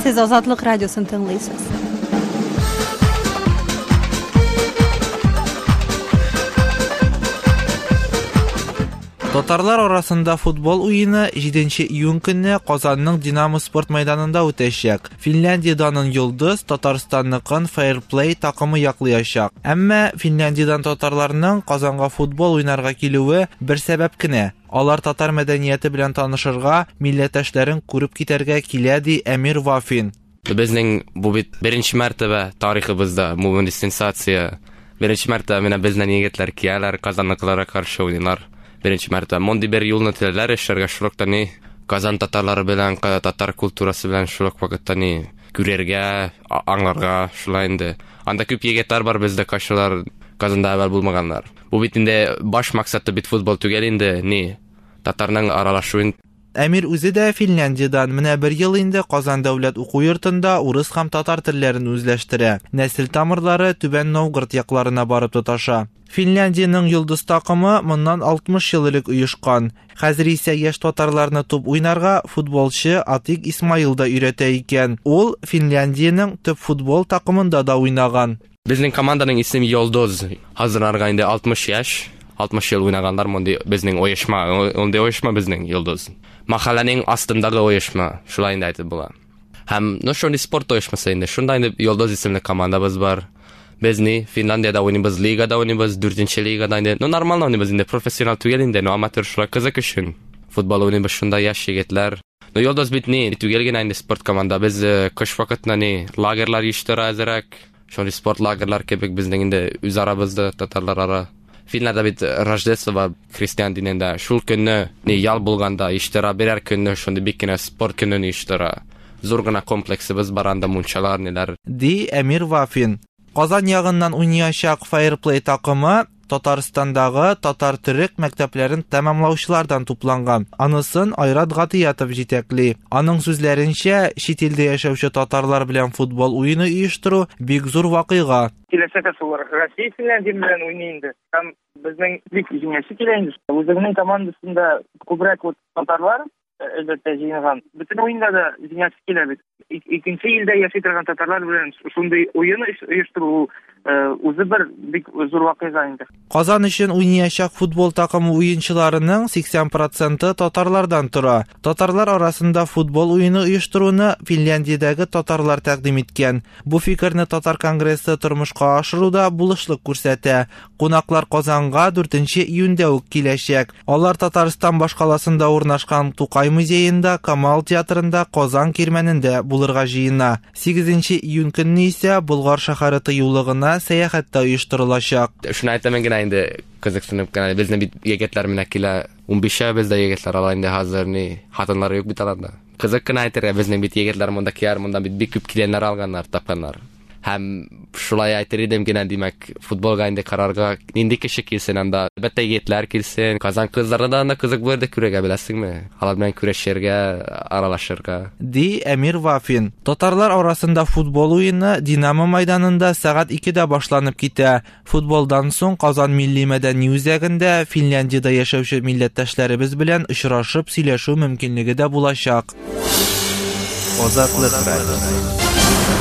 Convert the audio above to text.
Сез Азатлык радиосын тыңлыйсыз. Татарлар арасында футбол уены 7 июнь көнне Казанның Динамо спорт мәйданында үтәчәк. Финляндия данын Йолдыз, Татарстанныкын Fairplay такымы яклыячак. Әмма Финляндиядән татарларның Казанга футбол уйнарга килүе бер сәбәп кенә. Алар татар мәдәнияте белән танышырга, милләттәшләрен күреп китәргә килә, ди Әмир Вафин. Безнең бу бит беренче мәртәбә тарихыбызда бу сенсация. Беренче мәртәбә менә безнең егетләр кияләр, Казанныкыларга каршы уйныйлар. Беренче мәртәбә мондый бер юлны теләләр эшләргә, шул ук ни Казан татарлары белән, татар культурасы белән шул ук вакытта ни күрергә, аңларга шулай инде. Анда күп егетләр бар бездә, кайсылар Казанда әвәл булмаганнар. Бу бит инде баш максаты бит футбол түгел инде, ни татарның аралашуын. Әмир үзе дә Финляндиядән. Менә бер ел инде Казан дәүләт уку йортында урыс һәм татар телләрен үзләштерә. Нәсел тамырлары Түбән Новгород якларына барып тоташа. Финляндиянең Йолдыз такымы моннан 60 ел элек оешкан. Хәзер исә яшь татарларны туп уйнарга футболчы Атик Исмаил да өйрәтә икән. Ул Финляндиянең төп футбол такымында да уйнаган. Безнең команданың исеме Йолдыз. Хәзер инде 60 яшь, 60 ел уйнаганнар мондый безнең оешма, мондый оешма безнең Йолдыз. Махалләнең астындагы оешма, шулай инде әйтеп була. Һәм, ну, шундый спорт оешмасы инде. Шунда инде Йолдыз исемле командабыз бар. Без ни Финляндиядә уйныйбыз, лигада уйныйбыз, дүртенче лигада инде. Ну, нормально уйныйбыз инде, профессионал түгел инде, но аматер шулай кызык өчен. Футбол уйныйбыз шунда яшь егетләр. Ну, Йолдыз бит ни, түгел генә инде спорт команда. Без кыш вакытында ни лагерьлар оештыра әзерәк. Шундый спорт лагерьлар кебек безнең инде үз арабызда татарлар ара. Финләрдә бит Рождество бар христиан динендә. Шул көнне ни ял булганда оештыра, берәр көнне шундый бик кенә спорт көнен оештыра. Зур гына комплексыбыз бар анда, мунчалар, ниләр. Ди Әмир Вафин. Казан ягыннан уйнаячак Fairplay такымы Татарстандагы татар-төрек мәктәпләрен тәмамлаучылардан тупланган. Анысын Айрат Гатиятов җитәкли. Аның сүзләренчә, чит илдә яшәүче татарлар белән футбол уены оештыру бик зур вакыйга. Киләчәктә шулар Россия Финляндия белән уйный инде. Һәм безнең бик җиңәсе килә инде. Үзебезнең командасында күбрәк вот татарлар әлбәттә җыелган. Бөтен уенда да җиңәсе килә бит. Икенче илдә яши торган татарлар белән шундый уен оештыру үзе бер бик зур вакыйга инде. Казан өчен уйнаячак футбол такымы уенчыларының 80 проценты татарлардан тора. Татарлар арасында футбол уены оештыруны Финляндиядәге татарлар тәкъдим иткән. Бу фикерне Татар конгрессы тормышка ашыруда булышлык күрсәтә. Кунаклар Казанга 4 июньдә үк киләчәк. Алар Татарстан башкаласында урнашкан Тукай музеенда, Камал театрында, Казан кирмәнендә булырга җыена. 8 июнь көнне исә Болгар шәһәре тыюлыгына сәяхәт тә оештырылачак. Шуны әйтәмен генә инде, кызыксынып кенә, безнең бит егетләр менә килә, 15-ә бездә егетләр ала инде хәзер ни, хатыннары юк бит аларда. Кызык кына әйтергә, безнең бит егетләр монда кияр, монда бит бик күп киленнәр алганнар, тапканнар. Һәм шулай әйтер идем генә, димәк, футболга инде карарга нинди кеше килсен анда? Әлбәттә, егетләр килсен. Казан кызларына да анда кызык булыр дип күрергә, беләсеңме? Алар белән күрешергә, аралашырга. Ди Әмир Вафин. Татарлар арасында футбол уены Динамо майданында сәгать 2-дә башланып китә. Футболдан соң Казан милли мәдәни үзәгендә Финляндиядә яшәүче милләттәшләребез белән очрашып сөйләшү мөмкинлеге дә булачак. Азатлык радиосы.